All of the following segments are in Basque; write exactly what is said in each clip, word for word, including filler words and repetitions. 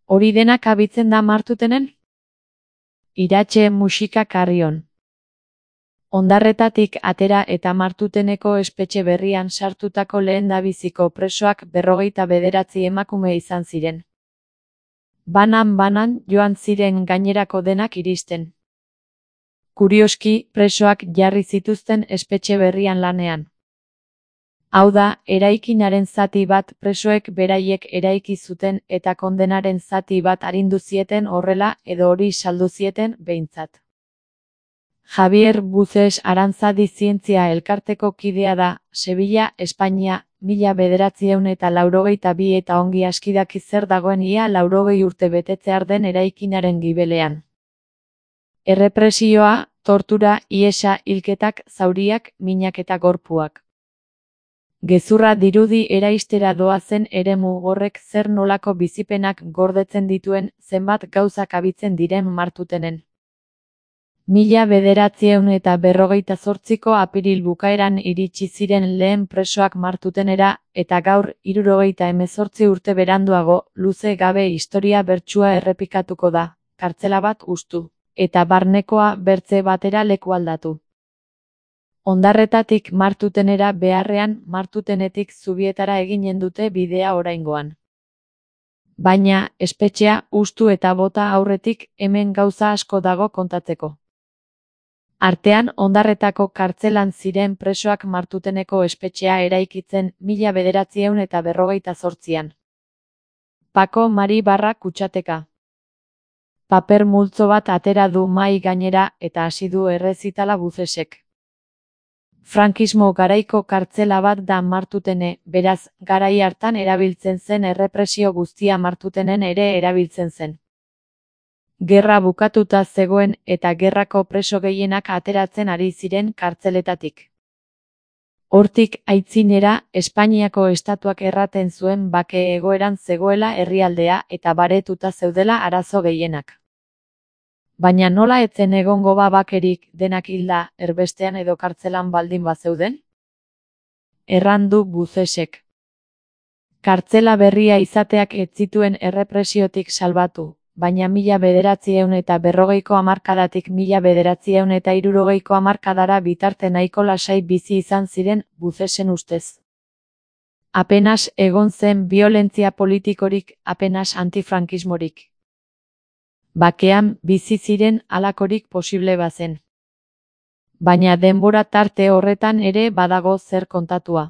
Hori denak abitzen da Martutenen? Iratxe musika Karrion. Ondarretatik atera eta Martuteneko espetxe berrian sartutako lehendabiziko presoak berrogeita bederatzi emakume izan ziren. Banan-banan joan ziren gainerako denak iristen. Kurioski, presoak jarri zituzten espetxe berrian lanean. Hau da, eraikinaren zati bat presoek beraiek eraiki zuten eta kondenaren zati bat arindu zieten horrela edo hori saldu zieten behintzat. Javier Buzes Aranzadi zientzia elkarteko kidea da, Sevilla, Espainia, mila bederatziehun eta laurogeita bi eta ongi aski daki zer dagoen ia laurogei urte betetzear den eraikinaren gibelean. Errepresioa, tortura, ihesa, hilketak, zauriak, minak eta gorpuak. Gezurra dirudi eraistera doazen eremu horrek zer nolako bizipenak gordetzen dituen zenbat gauzak abitzen diren Martutenen. Mila bederatziehun eta berrogeita zortziko apiril bukaeran iritsi ziren lehen presoak Martutenera eta gaur hirurogeita hemezortzi urte beranduago luze gabe historia bertsua errepikatuko da, kartzela bat hustu, eta barnekoa bertze batera leku aldatu. Ondarretatik Martutenera beharrean Martutenetik Zubietara eginen dute bidea oraingoan. Baina, espetxea hustu eta bota aurretik hemen gauza asko dago kontatzeko. Artean Ondarretako kartzelan ziren presoak Martuteneko espetxea eraikitzen mila bederatziehun eta berrogeita zortzian. Pako Mari barra kutsateka. Paper multzo bat atera du mahai gainera eta hasi du errezitala Buzesek. Frankismo garaiko kartzela bat da Martutene, beraz, garai hartan erabiltzen zen errepresio guztia Martutenen ere erabiltzen zen. Gerra bukatuta zegoen eta gerrako preso gehienak ateratzen ari ziren kartzeletatik. Hortik aitzinera, Espainiako estatuak erraten zuen bake egoeran zegoela herrialdea eta baretuta zeudela arazo gehienak. Baina nola etzen egongo ba bakerik denak hilda erbestean edo kartzelan baldin bazeuden? Errandu Buzesek. Kartzela berria izateak ez zituen errepresiotik salbatu, baina mila bederatziehun eta berrogeiko hamarkadatik mila bederatziehun eta hirurogeiko hamarkadara bitarte nahiko lasai bizi izan ziren Buzesen ustez. Apenas egon zen biolentzia politikorik, apenas antifrankismorik. Bakean bizi ziren halakorik posible bazen. Baina denbora tarte horretan ere badago zer kontatua.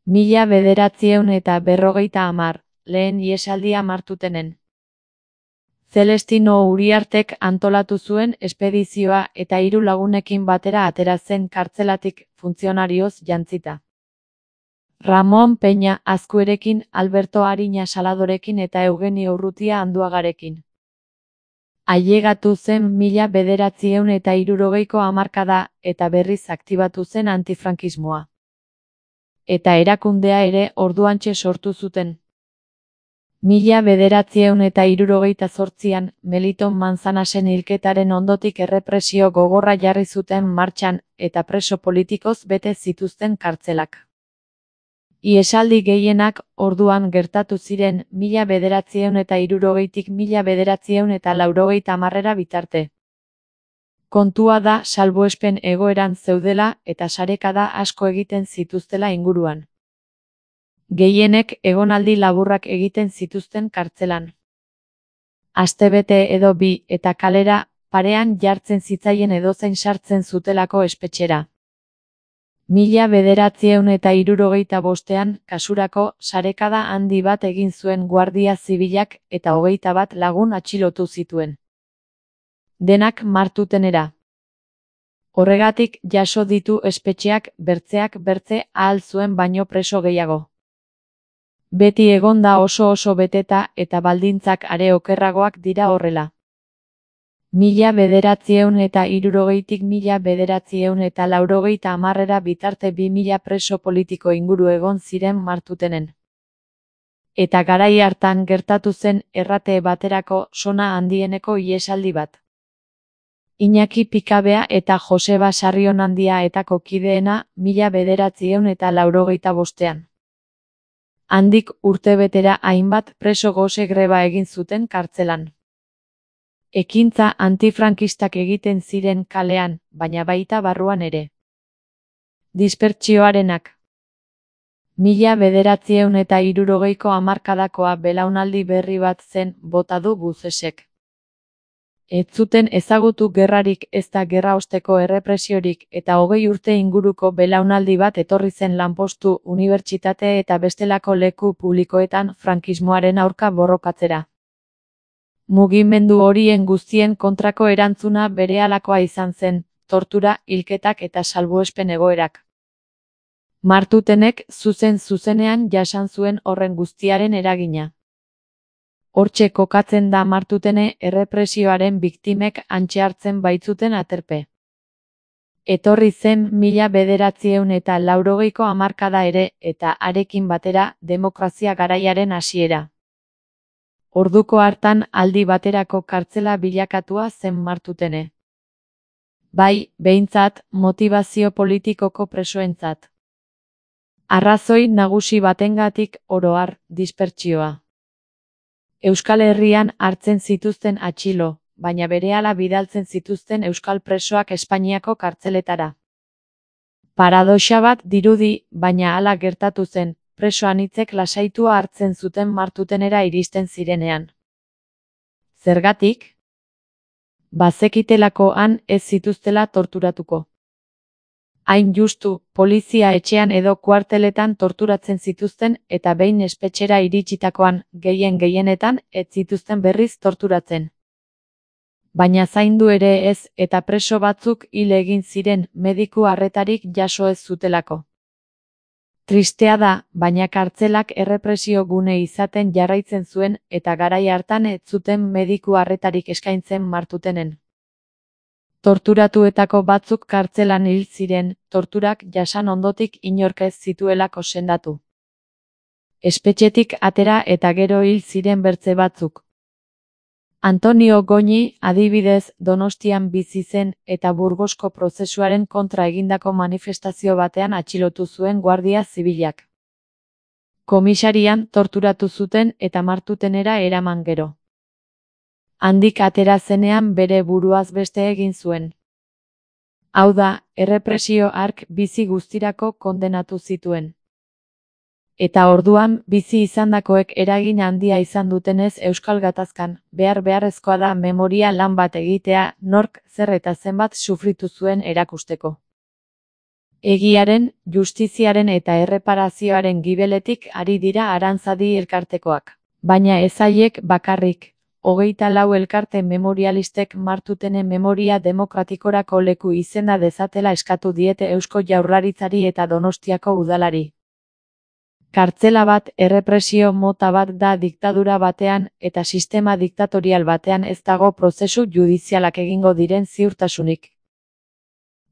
Mila bederatziehun eta berrogeita hamar, lehen ihesaldia Martutenen. Celestino Uriartek antolatu zuen espedizioa eta hiru lagunekin batera atera zen kartzelatik funtzionarioz jantzita. Ramon Peña Azkuerekin, Alberto Ariña Saladorekin eta Eugenio Urrutia Anduagarekin. Ailegatu zen mila bederatziehun eta hirurogeiko hamarkada eta berriz aktibatu zen antifrankismoa. Eta erakundea ere orduantxe sortu zuten. Mila bederatziehun eta hirurogeita zortzian, Meliton Manzanasen hilketaren ondotik errepresio gogorra jarri zuten martxan eta preso politikoz bete zituzten kartzelak. Ihesaldi gehienak orduan gertatu ziren mila bederatziehun eta hirurogeitik mila bederatziehun eta laurogeita hamarrera bitarte. Kontua da salbuespen egoeran zeudela eta sarekada asko egiten zituztela inguruan. Gehienek egonaldi laburrak egiten zituzten kartzelan. Astebete edo bi eta kalera parean jartzen zitzaien edozein sartzen zutelako espetxera. Mila bederatziehun eta hirurogeita bostean, kasurako, sarekada handi bat egin zuen Guardia Zibilak eta hogeita bat lagun atxilotu zituen. Denak Martutenera. Horregatik jaso ditu espetxeak bertzeak bertze ahal zuen baino preso gehiago. Beti egonda oso oso beteta eta baldintzak are okerragoak dira horrela. Mila bederatziehun eta hirurogeitik mila bederatziehun eta laurogeita hamarrera bitarte bi mila preso politiko inguru egon ziren Martutenen. Eta garai hartan gertatu zen errate baterako sona handieneko ihesaldi bat. Iñaki Pikabea eta Joseba Sarrionandia etako kideena mila bederatziehun eta laurogeita bostean. Handik urtebetera hainbat preso gose greba egin zuten kartzelan. Ekintza antifrankistak egiten ziren kalean, baina baita barruan ere. Dispertsioarenak. Mila bederatziehun eta hirurogeiko hamarkadakoa belaunaldi berri bat zen bota du Buzesek. Ez zuten ezagutu gerrarik ezta gerra osteko errepresiorik eta hogei urte inguruko belaunaldi bat etorri zen lanpostu, unibertsitate eta bestelako leku publikoetan frankismoaren aurka borrokatzera. Mugimendu horien guztien kontrako erantzuna berehalakoa izan zen, tortura, hilketak eta salbuespen egoerak. Martutenek zuzen-zuzenean jasan zuen horren guztiaren eragina. Hortxe kokatzen da Martutene errepresioaren biktimek hantxe hartzen baitzuten aterpe. Etorri zen mila bederatziehun eta laurogeiko hamarkada ere eta harekin batera demokrazia garaiaren hasiera. Orduko hartan aldi baterako kartzela bilakatua zen Martutene. Bai, behintzat, motivazio politikoko presoentzat. Arrazoi nagusi batengatik oro har, dispertsioa. Euskal Herrian hartzen zituzten atxilo, baina berehala bidaltzen zituzten euskal presoak Espainiako kartzeletara. Paradoxa bat dirudi, baina hala gertatu zen, preso anitzek lasaitua hartzen zuten Martutenera iristen zirenean. Zergatik? Bazekitelako han ez zituztela torturatuko. Hain justu, polizia etxean edo kuarteletan torturatzen zituzten eta behin espetxera iritsitakoan, gehien gehienetan, ez zituzten berriz torturatzen. Baina zaindu ere ez eta preso batzuk hil egin ziren mediku arretarik jaso ez zutelako. Tristea da, baina kartzelak errepresio gune izaten jarraitzen zuen eta garai hartan ez zuten mediku arretarik eskaintzen Martutenen. Torturatuetako batzuk kartzelan hil ziren, torturak jasan ondotik inork ez zituelako sendatu. Espetxetik atera eta gero hil ziren bertze batzuk. Antonio Goñi, adibidez, Donostian bizi zen eta Burgosko prozesuaren kontra egindako manifestazio batean atxilotu zuen Guardia Zibilak. Komisarian torturatu zuten eta Martutenera eraman gero. Handik atera zenean bere buruaz beste egin zuen. Hau da, errepresio hark bizi guztirako kondenatu zituen. Eta orduan, bizi izandakoek eragin handia izan dutenez Euskal Gatazkan, behar beharrezkoa da memoria lan bat egitea, nork, zer eta zenbat sufritu zuen erakusteko. Egiaren, justiziaren eta erreparazioaren gibeletik ari dira Arantzadi elkartekoak. Baina ez haiek bakarrik. Hogeita lau elkarte memorialistek Martutenen memoria demokratikorako leku izenda dezatela eskatu diete Eusko Jaurlaritzari eta Donostiako udalari. Kartzela bat errepresio mota bat da diktadura batean eta sistema diktatorial batean ez dago prozesu judizialak egingo diren ziurtasunik.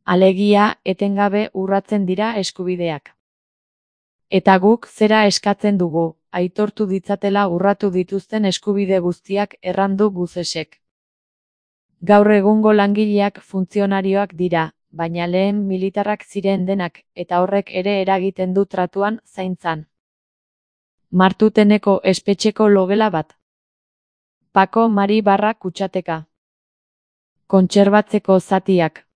Alegia, etengabe urratzen dira eskubideak. Eta guk zera eskatzen dugu, aitortu ditzatela urratu dituzten eskubide guztiak errandu Buzesek. Gaur egungo langileak funtzionarioak dira, baina lehen militarrak ziren denak, eta horrek ere eragiten du tratuan, zaintzan. Martuteneko espetxeko logela bat. Pako Mari barra kutsateka. Kontserbatzeko zatiak.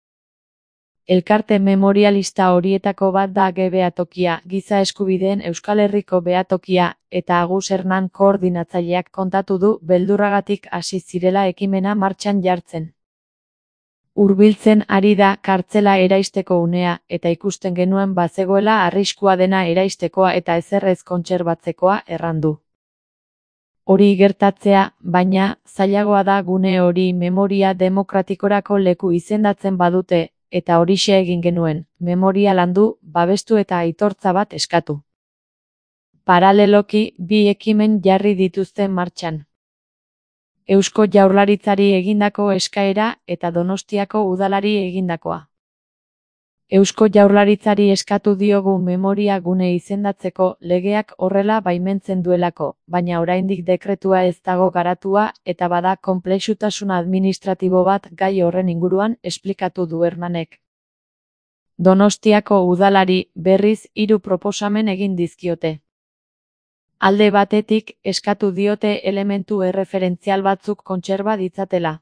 Elkarte memorialista horietako bat da Ge Behatokia, Giza Eskubideen Euskal Herriko Behatokia, eta Agus Hernan koordinatzaileak kontatu du beldurragatik hasi zirela ekimena martxan jartzen. Hurbiltzen ari da kartzela eraisteko unea, eta ikusten genuen bazegoela arriskua dena eraistekoa eta ezerrez kontserbatzekoa errandu. Hori gertatzea, baina, zailagoa da gune hori memoria demokratikorako leku izendatzen badute, eta horixe egin genuen, memoria landu, babestu eta aitortza bat eskatu. Paraleloki, bi ekimen jarri dituzte martxan. Eusko Jaurlaritzari egindako eskaera eta Donostiako udalari egindakoa. Eusko Jaurlaritzari eskatu diogu memoria gune izendatzeko legeak horrela baimentzen duelako, baina oraindik dekretua ez dago garatua eta bada konplexutasun administratibo bat gai horren inguruan esplikatu du Hernanek. Donostiako udalari berriz hiru proposamen egin dizkiote. Alde batetik, eskatu diote elementu erreferentzial batzuk kontserba ditzatela.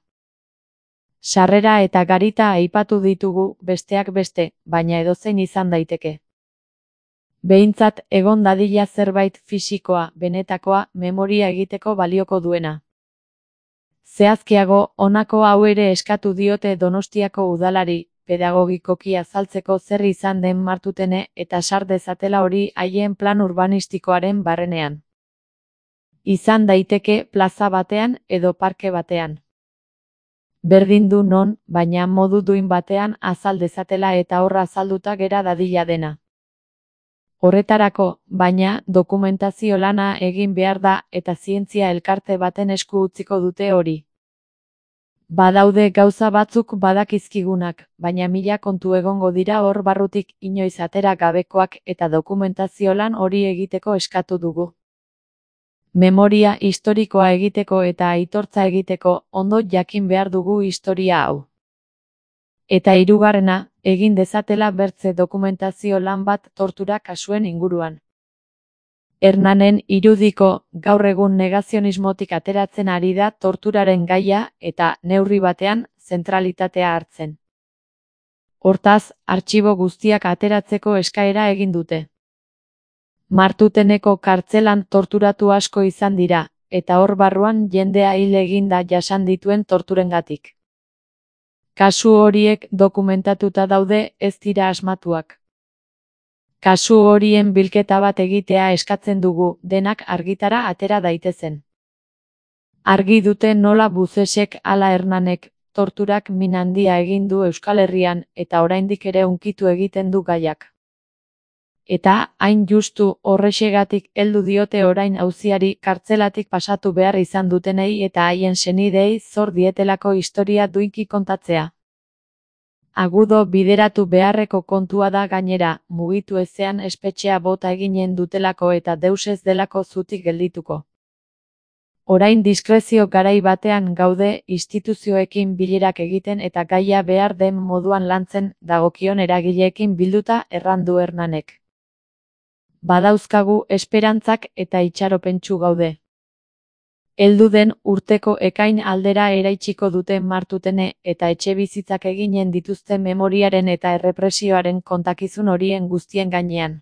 Sarrera eta garita aipatu ditugu, besteak beste, baina edozein izan daiteke. Behintzat, egon dadila zerbait fisikoa, benetakoa, memoria egiteko balioko duena. Zehazkiago, honako hau ere eskatu diote Donostiako udalari, pedagogikoki azaltzeko zer izan den Martutene eta sar dezatela hori haien plan urbanistikoaren barrenean. Izan daiteke plaza batean edo parke batean. Berdin du non, baina modu duin batean azal dezatela eta horra azalduta gera dadila dena. Horretarako, baina, dokumentazio lana egin behar da eta zientzia elkarte baten esku utziko dute hori. Badaude gauza batzuk badakizkigunak, baina mila kontu egongo dira hor barrutik inoiz atera gabekoak eta dokumentazio lan hori egiteko eskatu dugu. Memoria historikoa egiteko eta aitortza egiteko ondo jakin behar dugu historia hau. Eta hirugarrena, egin dezatela bertze dokumentazio lan bat tortura kasuen inguruan. Hernanen irudiko, gaur egun negazionismotik ateratzen ari da torturaren gaia eta, neurri batean, zentralitatea hartzen. Hortaz, artxibo guztiak ateratzeko eskaera egin dute. Martuteneko kartzelan torturatu asko izan dira, eta hor barruan jendea hil eginda jasan dituen torturengatik. Kasu horiek dokumentatuta daude, ez dira asmatuak. Kasu horien bilketa bat egitea eskatzen dugu, denak argitara atera daitezen. Argi dute nola Buzesek ala Hernanek torturak min handia egin du Euskal Herrian eta oraindik ere hunkitu egiten du gaiak. Eta, hain justu, horrexegatik heldu diote orain auziari kartzelatik pasatu behar izan dutenei eta haien senidei zor dietelako historia duinki kontatzea. Agudo bideratu beharreko kontua da gainera, mugitu ezean espetxea bota eginen dutelako eta deus ez delako zutik geldituko. Orain diskrezio garai batean gaude instituzioekin bilerak egiten eta gaia behar den moduan lantzen dagokion eragileekin bilduta errandu Hernanek. Badauzkagu esperantzak eta itxaropentsu gaude. Heldu den urteko ekain aldera eraitsiko dute Martutene eta etxebizitzak eginen dituzte memoriaren eta errepresioaren kontakizun horien guztien gainean.